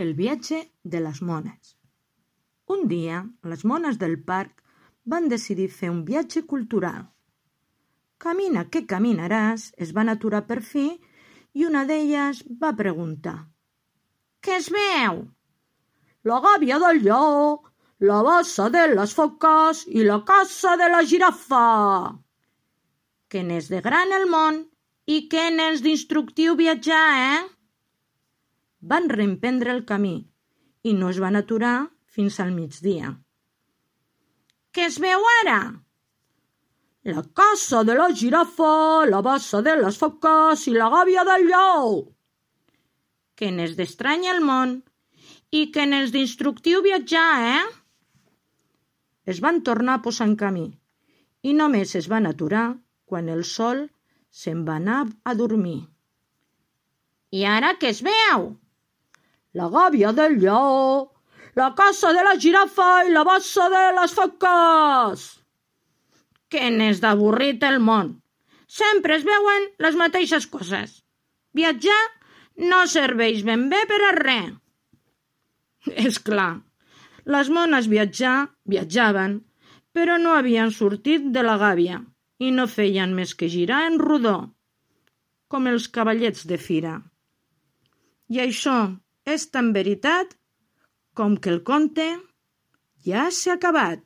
El viatge de les mones. Un dia, les mones del parc van decidir fer un viatge cultural. Camina que caminaràs, es van aturar per fi i una d'elles va preguntar: «Què es veu?» «La gàbia del lleó, la bassa de les foques i la caça de la girafa». «Que n'és de gran el món i que n'és d'instructiu viatjar, Van reemprendre el camí i no es van aturar fins al migdia. «Què es veu ara?» «La caça de la girafa, la bassa de les foques i la gàbia del lleó». «Que n'és d'estrany el món i que n'és d'instructiu viatjar, Es van tornar a posar en camí i només es van aturar quan el sol se'n va anar a dormir. «I ara què es veu?» «La gàbia del lleó, la caça de la girafa i la bassa de les foques». «Que n'és d'avorrit el món. Sempre es veuen les mateixes coses. Viatjar no serveix ben bé per a res». És clar, les mones viatjaven, però no havien sortit de la gàbia i no feien més que girar en rodó, com els cavallets de fira. I això és tan veritat com que el conte ja s'ha acabat.